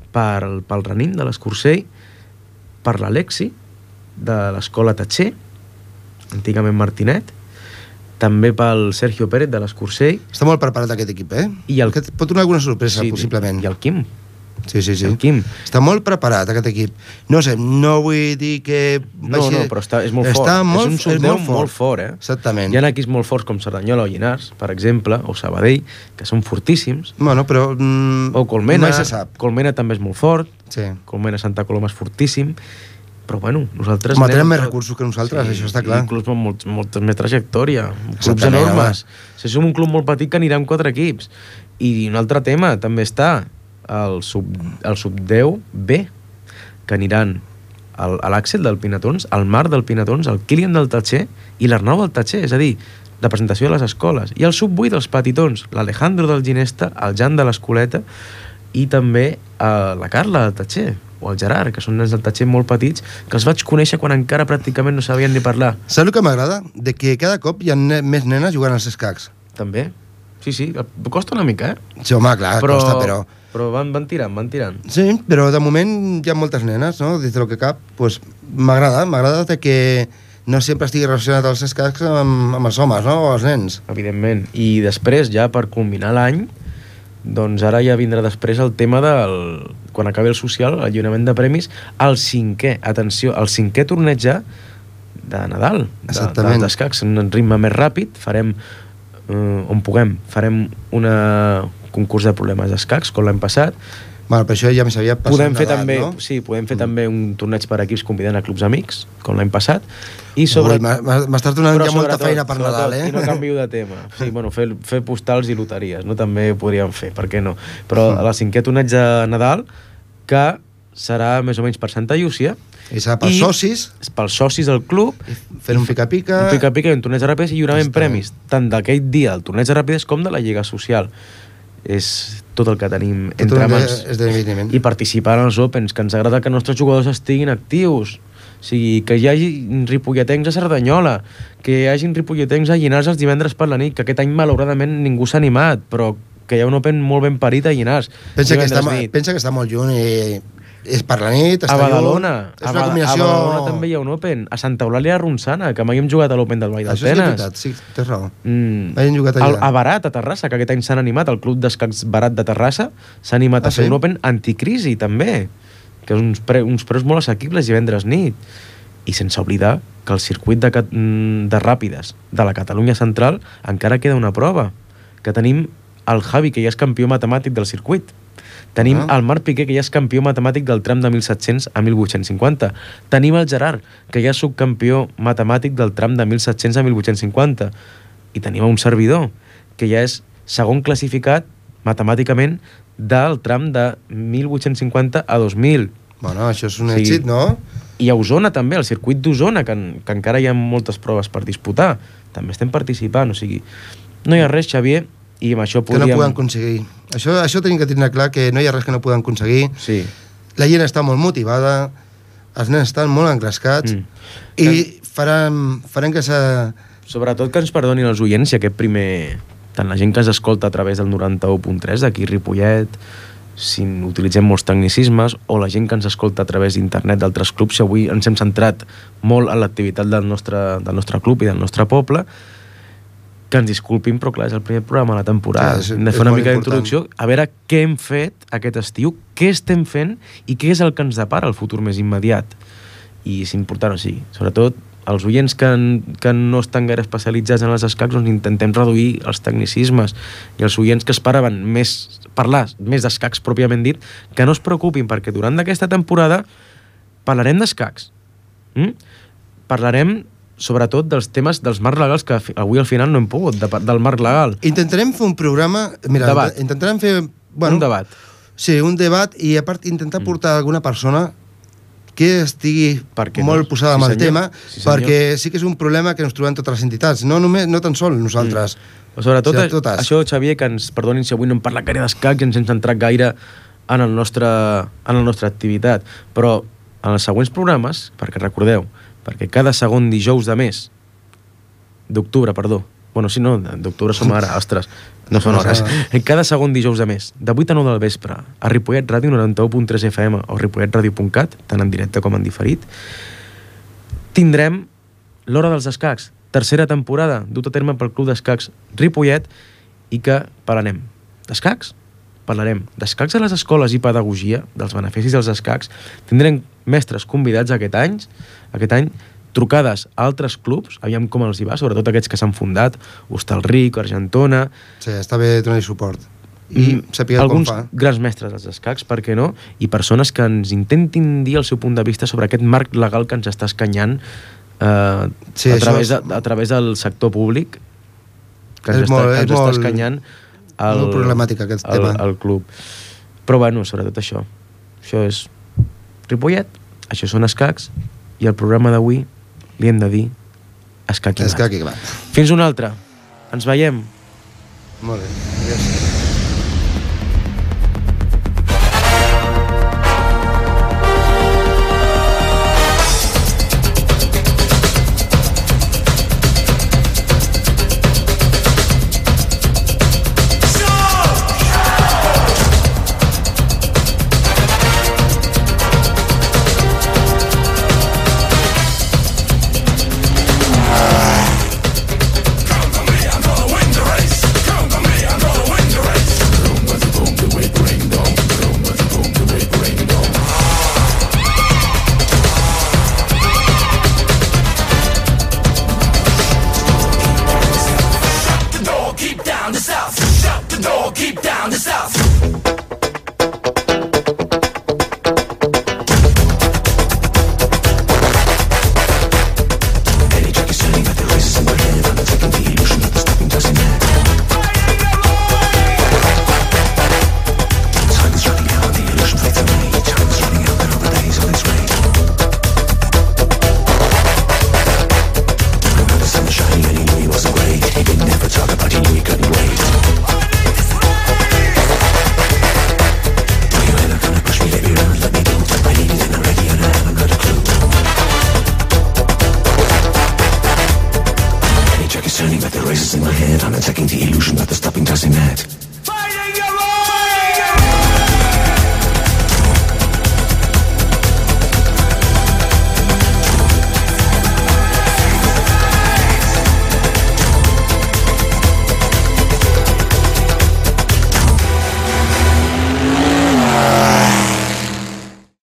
pel Ranim de l'Escursell, per l'Alexi de l'escola Tatxer, antigament Martinet, també pel Sergio Pérez de l'Escursell. Està molt preparat aquest equip, eh? Pot donar alguna sorpresa, possiblement. I el Quim. Sí. El Quim. Està molt preparat, aquest equip. No sé, no vull dir que... No, però és molt fort. És un sub-10 molt fort, eh? Exactament. Hi ha equips molt forts com Cerdanyola o Llinars, per exemple, o Sabadell, que són fortíssims. Bueno, però... O Colmena. Mai se sap. Colmena també és molt fort. Sí. Colmena Santa Coloma és fortíssim. Però bueno, nosaltres... Home, tenen més recursos que nosaltres, això està clar. I clubs amb molta més trajectòria, clubs enormes. Si som un club molt petit que anirà amb 4 equips. I un altre tema també està el sub-10B, que aniran l'Àxel del Pinatons, el Marc del Pinatons, el Kilian del Tatxer i l'Arnau del Tatxer, és a dir, representació de les escoles. I el sub-8 dels Petitons, l'Alejandro del Ginesta, el Jan de l'Escoleta i també la Carla del Tatxer o el Gerard, que són nens del Tatxer molt petits, que els vaig conèixer quan encara pràcticament no sabien ni parlar. Saps el que m'agrada? De que cada cop hi ha més nenes jugant als escacs. També. Sí, costa una mica, eh? Sí, home, clar, costa, però... Però van tirant. Sí, però de moment hi ha moltes nenes, no? Des del que cap, doncs m'agrada de que no sempre estigui relacionat els escacs amb els homes, no? O els nens. Evidentment. I després, ja per culminar l'any, doncs ara ja vindrà després el tema quan acabi el social, el lliurament de premis, el 5è, atenció, el 5è torneig ja de Nadal, dels escacs, en un ritme més ràpid, farem, on puguem, farem un concurs de problemes d'escacs, com l'any passat. Bueno, però això ja més aviat passat podem fer Nadal, també, no? Sí, podem fer també un torneig per equips convidant a clubs amics, com l'any passat. I m'estàs donant ja molta feina per Nadal, eh? I no canvio de tema. Sí, bueno, fer postals i loteries, no? També podríem fer, per què no? Però a la 5è torneig de Nadal, que serà més o menys per Santa Llúcia. I serà pels socis. Pels socis del club. Fer un pica-pica. Un pica-pica i un torneig de ràpides i lliurament premis, tant d'aquell dia, el torneig de ràpides, com de la Lliga Social. És tot el que tenim entre mans. Esdeveniment. I participar en els Opens, que ens agrada que els nostres jugadors estiguin actius. O sigui, que hi hagi ripolletens a Cerdanyola, que hi hagi ripolletens a Llinars els divendres per la nit, que aquest any malauradament ningú s'ha animat, però que hi ha un Open molt ben parit a Llinars. Pensa que està molt lluny i és per la nit, està a Badalona. És una combinació... A Badalona també hi ha un Open. A Santa Eulàlia Ronçana, que mai hem jugat a l'Open del Vall d'Altenes. Això és veritat, sí, tens raó. Mai hem jugat allà. A Barat, a Terrassa, que aquest any s'han animat, el Club d'Escacs Barat de Terrassa, s'ha animat a fer un Open anticrisi, també, que és uns preus molt assequibles divendres nit. I sense oblidar que el circuit de ràpides de la Catalunya Central encara queda una prova, que tenim el Javi, que ja és campió matemàtic del circuit. Tenim el Marc Piqué, que ja és campió matemàtic del tram de 1.700 a 1.850. Tenim el Gerard, que ja és subcampió matemàtic del tram de 1.700 a 1.850. I tenim un servidor, que ja és segon classificat matemàticament del tram de 1.850 a 2.000. Bueno, això és un èxit, no? I a Osona també, el circuit d'Osona, que encara hi ha moltes proves per disputar. També estem participant, o sigui, no hi ha res, Xavier, i amb això podríem... Que no poden aconseguir. Això tenim que tenir clar, que no hi ha res que no poden aconseguir. Sí. La gent està molt motivada, els nens estan molt engrescats, i farem que Sobretot que ens perdonin els oients, i aquest primer... Tant la gent que ens escolta a través del 91.3 d'aquí Ripollet, si utilitzem molts tecnicismes, o la gent que ens escolta a través d'internet d'altres clubs, si avui ens hem centrat molt en l'activitat del nostre club i del nostre poble, que ens disculpin, però clar, és el primer programa de la temporada. Hem de fer una mica d'introducció, a veure què hem fet aquest estiu, què estem fent i què és el que ens depara el futur més immediat. I és important, o sigui, sobretot els oients que no estan gaire especialitzats en els escacs, doncs intentem reduir els tecnicismes, i els oients que esperaven parlar més d'escacs pròpiament dit, que no es preocupin, perquè durant aquesta temporada parlarem d'escacs. Parlarem sobretot dels temes dels marcs legals, que avui al final no hem pogut, del marc legal. Intentarem fer un programa... Mira, debat. Intentarem fer... Un debat. Sí, un debat, i a part intentar portar alguna persona que estigui molt posada amb el tema, perquè sí que és un problema que ens trobem totes les entitats, no tan sols nosaltres. Sobretot això, Xavier, que ens perdonin si avui no hem parlat gaire d'escacs i ens hem centrat gaire en la nostra activitat, però en els següents programes, perquè recordeu, perquè cada segon dijous de mes d'octubre, perdó, bueno, si no, d'octubre som ara, ostres, no són hores, cada segon dijous de mes, de 8 a 9 del vespre, a Ripollet Ràdio 91.3 FM o ripolletradio.cat, tant en directe com en diferit, tindrem l'Hora dels Escacs, tercera temporada, dut a terme pel Club d'Escacs Ripollet, i que parlarem d'escacs, parlarem d'escacs a les escoles i pedagogia, dels beneficis dels escacs, tindrem mestres convidats aquest any, trucades a altres clubs, aviam com els hi va, sobretot aquests que s'han fundat, Hostalric, Argentona... Sí, està bé donar-hi suport. I saber alguns grans mestres dels escacs, per què no? I persones que ens intentin dir el seu punt de vista sobre aquest marc legal que ens està escanyant a través del sector públic, que ens està escanyant molt problemàtic aquest tema. El club. Però bueno, sobretot això. Això és Ripollet, això són escacs, i el programa d'avui li hem de dir Escac i Gat. Fins una altra. Ens veiem. Molt bé. Gràcies. turning like the razors in my head. I'm attacking the illusion that the stopping doesn't add.